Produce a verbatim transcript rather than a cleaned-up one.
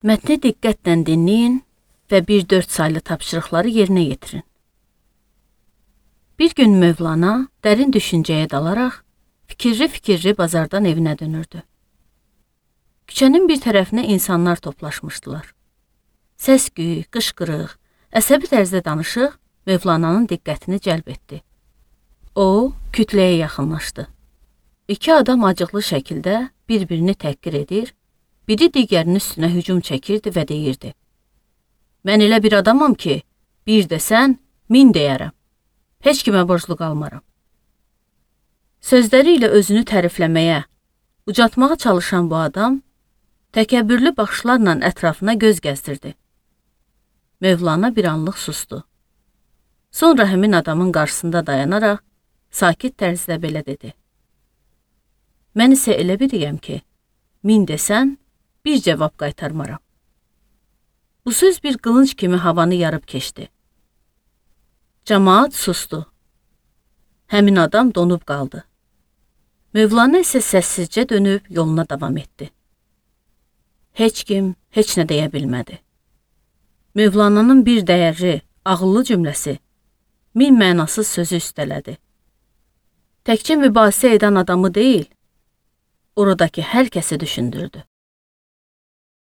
Mətni diqqətlə dinləyin və bir dörd saylı tapşırıqları yerinə yetirin. Bir gün Mövlana dərin düşüncəyə dalaraq fikirli-fikirli bazardan evinə dönürdü. Küçənin bir tərəfinə insanlar toplaşmışdılar. Səs-küy, qışqırıq, əsəbi tərzdə danışıq Mövlananın diqqətini cəlb etdi. O, kütləyə yaxınlaşdı. İki adam acıqlı şəkildə bir-birini təhqir edir, biri digərinin üstünə hücum çəkirdi və deyirdi: "Mən elə bir adamam ki, bir desən, min deyərəm. Heç kimə borclu qalmaram." Sözləri ilə özünü tərifləməyə, ucaltmağa çalışan bu adam, təkəbbürlü baxışlarla ətrafına göz gəzdirdi. Mövlana bir anlıq susdu. Sonra həmin adamın qarşısında dayanaraq, sakit tərzdə belə dedi: "Mən isə elə biriyəm ki, min desən, bir cavab qaytarmaram." Bu söz bir qılınc kimi havanı yarıb keçdi. Cəmaət sustu. Həmin adam donub qaldı. Mövlana isə səssizcə dönüb yoluna davam etdi. Heç kim heç nə deyə bilmədi. Mövlananın bir dəyərli, ağıllı cümləsi min mənasız sözü üstələdi. Təkcə mübahisə edən adamı deyil, oradakı hər kəsi düşündürdü.